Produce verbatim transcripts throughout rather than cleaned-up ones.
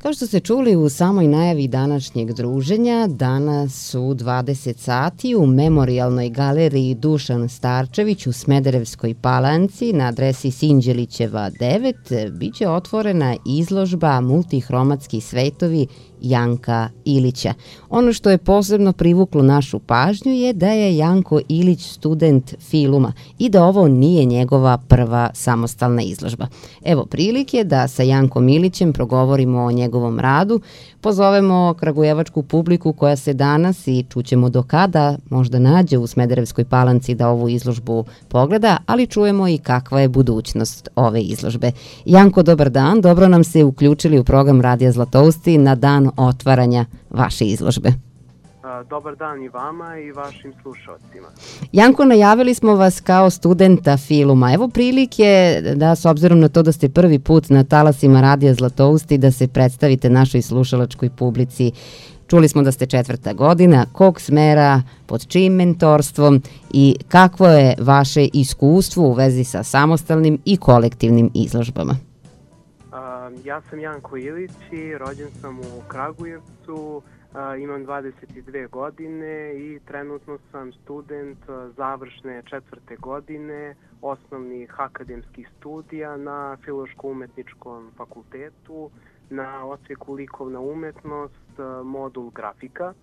Kao što ste čuli u samoj najavi današnjeg druženja, danas u dvadeset sati u Memorijalnoj galeriji Dušan Starčević u Smederevskoj Palanci na adresi Sinđelićeva devet biće otvorena izložba Multihromatski svetovi Janka Ilića. Ono što je posebno privuklo našu pažnju je da je Janko Ilić student filuma i da ovo nije njegova prva samostalna izložba. Evo prilike da sa Jankom Ilićem progovorimo o njegovom radu, pozovemo kragujevačku publiku koja se danas i čućemo do kada možda nađe u Smederevskoj Palanci da ovu izložbu pogleda, ali čujemo i kakva je budućnost ove izložbe. Janko, dobar dan, dobro nam se uključili u program Radija Zlatousti na dan otvaranja vaše izložbe. Dobar dan i vama i vašim slušalcima. Janko, najavili smo vas kao studenta filuma. Evo prilike da, s obzirom na to da ste prvi put na talasima Radija Zlatousti, da se predstavite našoj slušalačkoj publici. Čuli smo da ste četvrta godina, kog smera, pod čijim mentorstvom i kakvo je vaše iskustvo u vezi sa samostalnim i kolektivnim izložbama? Ja sam Janko Ilić i rođen sam u Kragujevcu, imam dvadeset dve godine i trenutno sam student završne četvrte godine osnovnih akademskih studija na Filološko-umetničkom fakultetu na odsjeku likovna umetnost, modul grafika.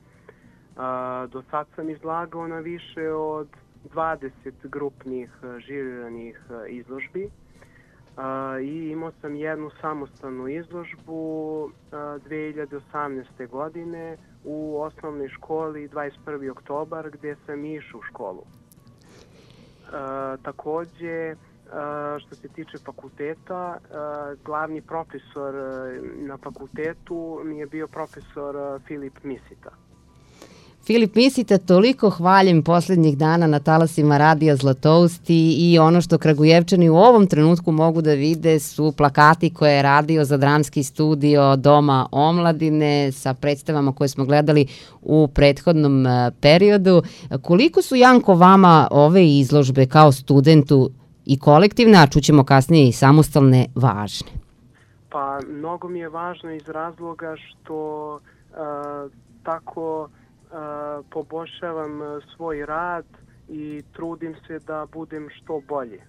Do sad sam izlagao na više od dvadeset grupnih žiriranih izložbi. Uh, i imao sam jednu samostalnu izložbu uh, dve hiljade osamnaeste. godine u osnovnoj školi dvadeset prvi oktobar gdje sam išao u školu. Uh, takođe, uh, što se tiče fakulteta, uh, glavni profesor uh, na fakultetu mi je bio profesor uh, Filip Misita. Filip Misita, toliko hvaljen posljednjih dana na talasima Radija Zlatousti i ono što Kragujevčani u ovom trenutku mogu da vide su plakati koje je radio za dramski studio Doma omladine sa predstavama koje smo gledali u prethodnom periodu. Koliko su, Janko, vama ove izložbe kao studentu i kolektivne, a čućemo kasnije i samostalne, važne? Pa, mnogo mi je važno iz razloga što uh, tako Uh, poboljšavam uh, svoj rad i trudim se da budem što bolje.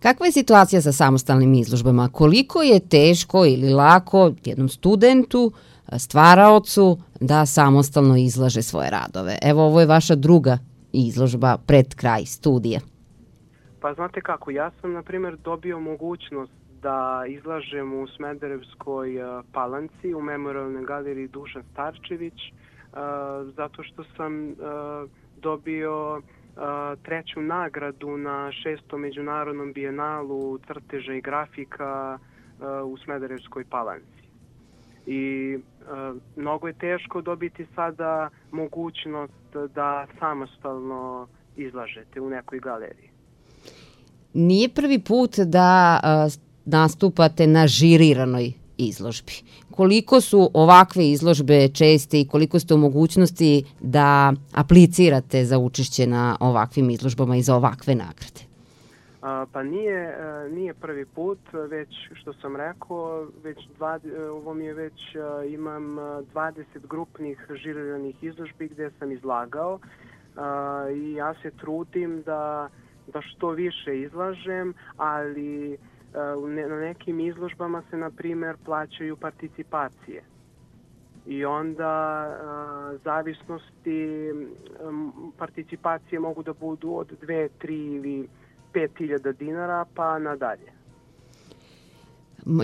Kakva je situacija sa samostalnim izložbama? Koliko je teško ili lako jednom studentu, stvaraocu da samostalno izlaže svoje radove? Evo, ovo je vaša druga izložba pred kraj studija. Pa znate kako, ja sam na primjer dobio mogućnost da izlažem u Smederevskoj uh, Palanci u Memorijalnoj galeriji Dušan Starčević, Uh, zato što sam uh, dobio uh, treću nagradu na šestom međunarodnom bijenalu crteža i grafika uh, u Smederevskoj Palanci. I uh, mnogo je teško dobiti sada mogućnost da samostalno izlažete u nekoj galeriji. Nije prvi put da uh, nastupate na žiriranoj izložbi. Koliko su ovakve izložbe česte i koliko ste u mogućnosti da aplicirate za učešće na ovakvim izložbama i za ovakve nagrade? A, pa nije, nije prvi put, već što sam rekao, već dva, ovo mi je već, imam dvadeset grupnih žiriranih izložbi gdje sam izlagao a, i ja se trudim da, da što više izlažem, ali na nekim izložbama se, na primjer, plaćaju participacije. I onda zavisnosti participacije mogu da budu od dve, tri ili pet hiljada dinara pa nadalje.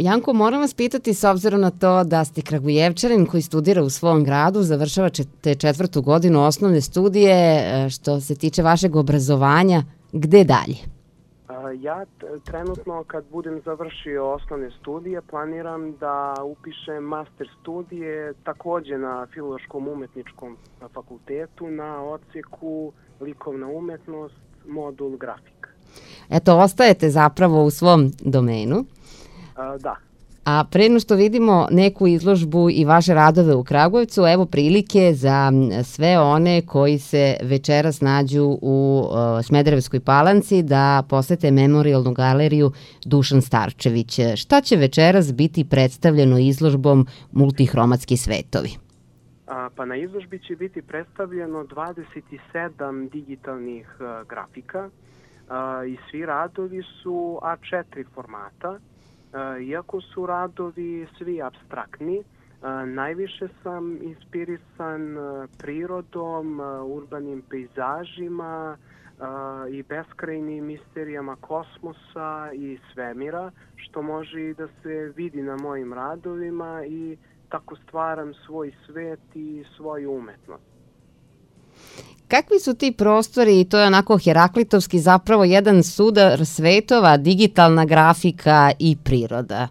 Janko, moram vas pitati, s obzirom na to da ste Kragujevčanin koji studira u svom gradu, završavate četvrtu godinu osnovne studije, što se tiče vašeg obrazovanja, gde dalje? Ja trenutno kad budem završio osnovne studije planiram da upišem master studije također na Filološkom umetničkom fakultetu na odsjeku likovna umetnost, modul grafika. Eto, ostajete zapravo u svom domenu. A, da. A pre nego što vidimo neku izložbu i vaše radove u Kragujevcu, evo prilike za sve one koji se večeras nađu u uh, Smederevskoj Palanci da posete memorijalnu galeriju Dušan Starčević. Šta će večeras biti predstavljeno izložbom Multihromatski svetovi? A, pa na izložbi će biti predstavljeno dvadeset sedam digitalnih uh, grafika uh, i svi radovi su A četiri formata. Iako su radovi svi apstraktni, najviše sam inspirisan prirodom, urbanim pejzažima i beskrajnim misterijama kosmosa i svemira, što može i da se vidi na mojim radovima i tako stvaram svoj svet i svoju umetnost. Kakvi su ti prostori, i to je onako heraklitovski, zapravo jedan sudar svetova, digitalna grafika i priroda?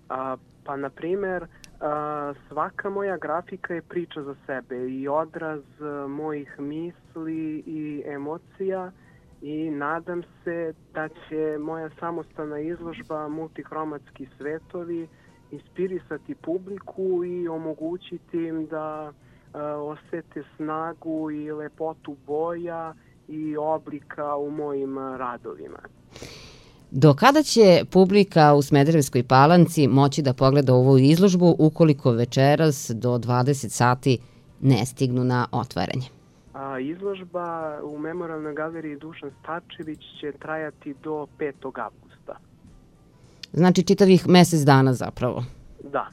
A, pa, na primer, a, svaka moja grafika je priča za sebe i odraz a, mojih misli i emocija i nadam se da će moja samostalna izložba Multihromatski svetovi inspirisati publiku i omogućiti im da osete snagu i lepotu boja i oblika u mojim radovima. Do kada će publika u Smederevskoj Palanci moći da pogleda ovu izložbu ukoliko večeras do dvadeset sati ne stignu na otvaranje? A, izložba u Memorijalnoj galeriji Dušan Starčević će trajati do petog avgusta. Znači čitavih mesec dana zapravo? Da.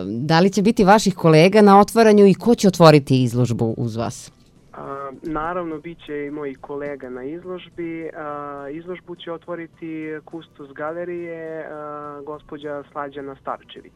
Da li će biti vaših kolega na otvaranju i ko će otvoriti izložbu uz vas? A, naravno, bit će i mojih kolega na izložbi. A, izložbu će otvoriti kustos galerije, a, gospođa Slađana Starčević.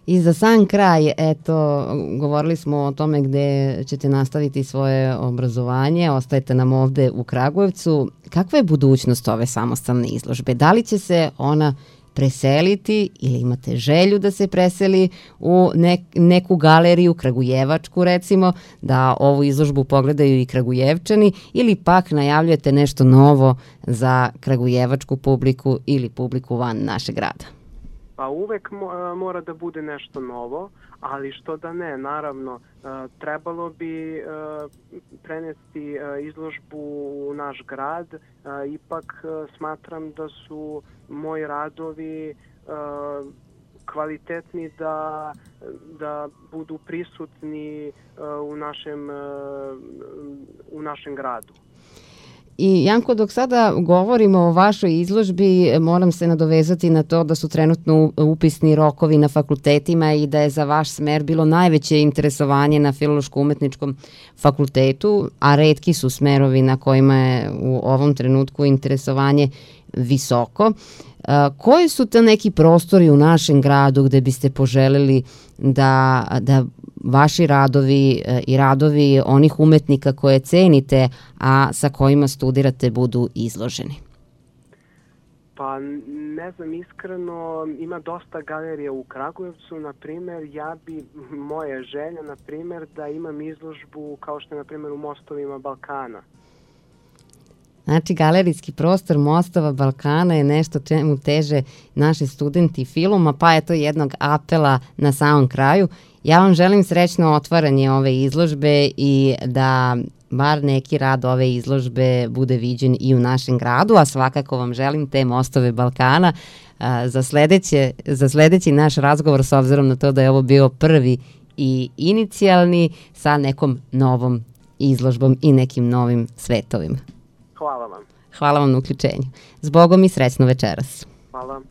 I za sam kraj, eto, govorili smo o tome gde ćete nastaviti svoje obrazovanje, ostajete nam ovde u Kragujevcu. Kakva je budućnost ove samostalne izložbe? Da li će se ona preseliti ili imate želju da se preseli u nek, neku galeriju, kragujevačku recimo, da ovu izložbu pogledaju i Kragujevčani, ili pak najavljujete nešto novo za kragujevačku publiku ili publiku van našeg grada? Pa uvek mora da bude nešto novo, ali što da ne, naravno, trebalo bi prenesti izložbu u naš grad, ipak smatram da su moji radovi kvalitetni da, da budu prisutni u našem, u našem gradu. I Janko, dok sada govorimo o vašoj izložbi, moram se nadovezati na to da su trenutno upisni rokovi na fakultetima i da je za vaš smer bilo najveće interesovanje na Filološko-umetničkom fakultetu, a retki su smerovi na kojima je u ovom trenutku interesovanje visoko. Koji su to neki prostori u našem gradu gde biste poželeli da, da vaši radovi i radovi onih umetnika koje cenite, a sa kojima studirate, budu izloženi? Pa ne znam, iskreno, ima dosta galerija u Kragujevcu, na primer, ja bi, moja želja, na primer, da imam izložbu kao što je, na primer, u Mostovima Balkana. Znači, galerijski prostor Mostova Balkana je nešto čemu teže naši studenti filma, pa je to jednog apela na samom kraju. Ja vam želim srećno otvaranje ove izložbe i da bar neki rad ove izložbe bude viđen i u našem gradu, a svakako vam želim te Mostove Balkana za, sledeće, za sledeći naš razgovor, s obzirom na to da je ovo bio prvi i inicijalni, sa nekom novom izložbom i nekim novim svetovima. Hvala vam. Hvala vam na uključenju. Zbogom i srećno večeras. Hvala.